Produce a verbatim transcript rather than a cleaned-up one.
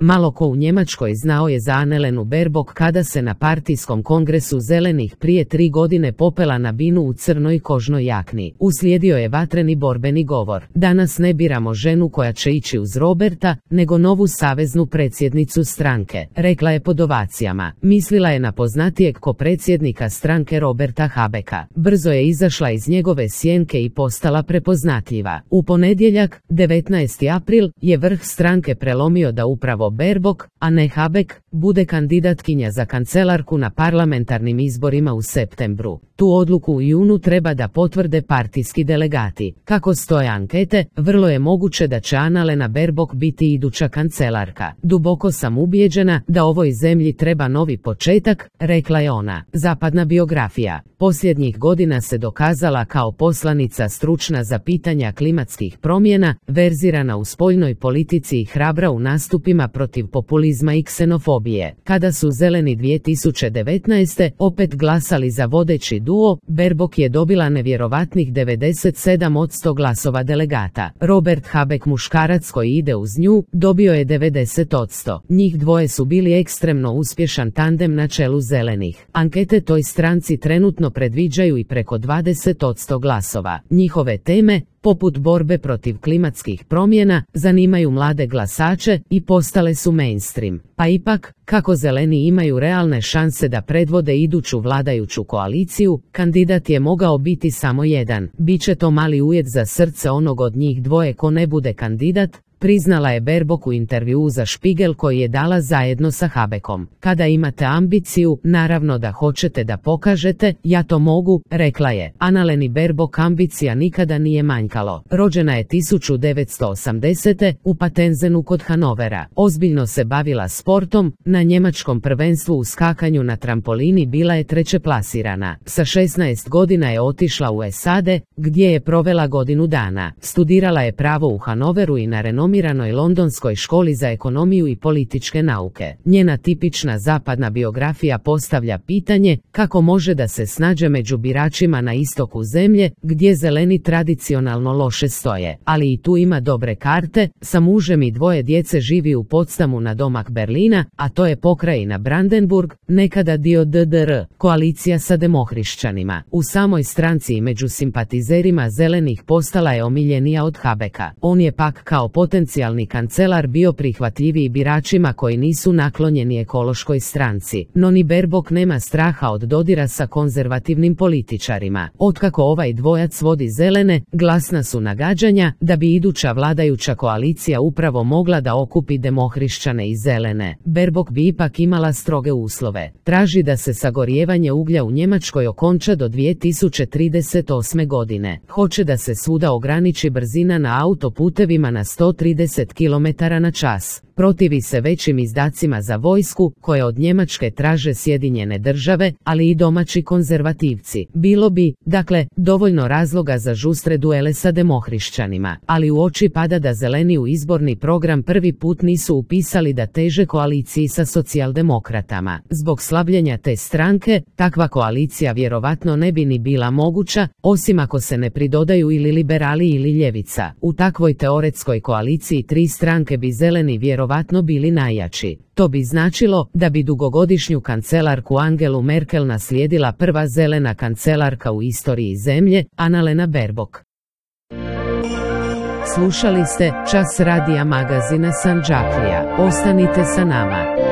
Malo ko u Njemačkoj znao je za Annalenu Baerbock kada se na partijskom kongresu zelenih prije tri godine popela na binu u crnoj kožnoj jakni. Uslijedio je vatreni borbeni govor. Danas ne biramo ženu koja će ići uz Roberta, nego novu saveznu predsjednicu stranke, rekla je pod ovacijama. Mislila je na poznatijeg ko predsjednika stranke Roberta Habecka. Brzo je izašla iz njegove sjenke i postala prepoznatljiva. U ponedjeljak, devetnaesti april, je vrh stranke prelomio da upravo Baerbock, a ne Habeck, bude kandidatkinja za kancelarku na parlamentarnim izborima u septembru. Tu odluku u junu treba da potvrde partijski delegati. Kako stoje ankete, vrlo je moguće da će Annalena Baerbock biti iduća kancelarka. Duboko sam ubijeđena da ovoj zemlji treba novi početak, rekla je ona. Zapadna biografija. Posljednjih godina se dokazala kao poslanica stručna za pitanja klimatskih promjena, verzirana u spoljnoj politici i hrabra u nastupima protiv populizma i ksenofobije. Kada su zeleni dvije tisuće devetnaeste. opet glasali za vodeći duo, Baerbock je dobila nevjerovatnih devedeset sedam posto glasova delegata. Robert Habeck, muškarac koji ide uz nju, dobio je devedeset posto. Njih dvoje su bili ekstremno uspješan tandem na čelu zelenih. Ankete toj stranci trenutno predviđaju i preko dvadeset posto glasova. Njihove teme, poput borbe protiv klimatskih promjena, zanimaju mlade glasače i postale su mainstream. Pa ipak, kako zeleni imaju realne šanse da predvode iduću vladajuću koaliciju, kandidat je mogao biti samo jedan. Biće to mali ujed za srce onog od njih dvoje ko ne bude kandidat, priznala je Baerbock u intervjuu za Spiegel koji je dala zajedno sa Habeckom. Kada imate ambiciju, naravno da hoćete da pokažete, ja to mogu, rekla je. Annaleni Baerbock ambicija nikada nije manjkalo. Rođena je tisuću devetsto osamdesete. u Patenzenu kod Hanovera. Ozbiljno se bavila sportom, na njemačkom prvenstvu u skakanju na trampolini bila je treće plasirana. Sa šesnaest godina je otišla u S A D, gdje je provela godinu dana. Studirala je pravo u Hanoveru i na renomiranoj londonskoj školi za ekonomiju i političke nauke. Njena tipična zapadna biografija postavlja pitanje kako može da se snađe među biračima na istoku zemlje, gdje zeleni tradicionalno loše stoje. Ali i tu ima dobre karte, sa mužem i dvoje djece živi u Potsdamu na domak Berlina, a to je pokrajina Brandenburg, nekada dio D D R, koalicija sa demohrišćanima. U samoj stranci i među simpatizerima zelenih postala je omiljenija od Habecka. On je pak kao potencijalni kancelar bio prihvatljiviji biračima koji nisu naklonjeni ekološkoj stranci. No ni Baerbock nema straha od dodira sa konzervativnim političarima. Otkako ovaj dvojac vodi zelene, glasna su nagađanja da bi iduća vladajuća koalicija upravo mogla da okupi demohrišćane i zelene. Baerbock bi ipak imala stroge uslove. Traži da se sagorijevanje uglja u Njemačkoj okonča do dvije tisuće trideset osme. godine. Hoće da se svuda ograniči brzina na autoputevima na sto trideset kilometara na čas. Protivi se većim izdacima za vojsku, koje od Njemačke traže Sjedinjene države, ali i domaći konzervativci. Bilo bi, dakle, dovoljno razloga za žustre duele sa demohrišćanima, ali u oči pada da zeleni u izborni program prvi put nisu upisali da teže koaliciji sa socijaldemokratama. Zbog slabljenja te stranke, takva koalicija vjerovatno ne bi ni bila moguća, osim ako se ne pridodaju ili liberali ili ljevica. U takvoj teoretskoj koaliciji tri stranke bi zeleni vjerovatno bili najjači. To bi značilo da bi dugogodišnju kancelarku Angelu Merkel naslijedila prva zelena kancelarka u istoriji zemlje, Annalena Baerbock. Slušali ste Čas radija magazina Sandžaklija. Ostanite sa nama.